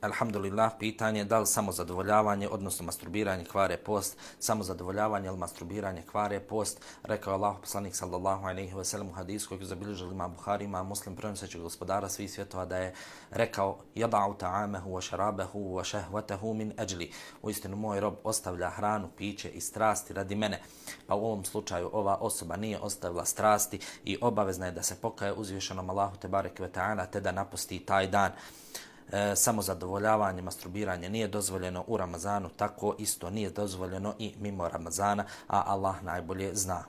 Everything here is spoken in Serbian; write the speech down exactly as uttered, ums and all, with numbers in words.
Alhamdulillah, pitanje da li samo zadovoljavanje, odnosno masturbiranje kvare post, samo zadovoljavanje ili masturbiranje kvare post, rekao je Allah poslanik sallallahu alejhi ve sellem u hadisu kojeg zabilježili Imam Buhari, Imam Muslim, prenoseći gospodara svih svjetova, da je rekao: "Yada'u ta'amahu wa sharabahu wa shahwatahu min ajli." Uistinu moj rob ostavlja hranu, piće i strasti radi mene. Pa u ovom slučaju ova osoba nije ostavila strasti i obavezna je da se pokaje uzvišenom Allahu te bareke ve ta'ala te da napusti taj dan. E, samo zadovoljavanje, masturbiranje nije dozvoljeno u Ramazanu, tako isto nije dozvoljeno i mimo Ramazana, a Allah najbolje zna.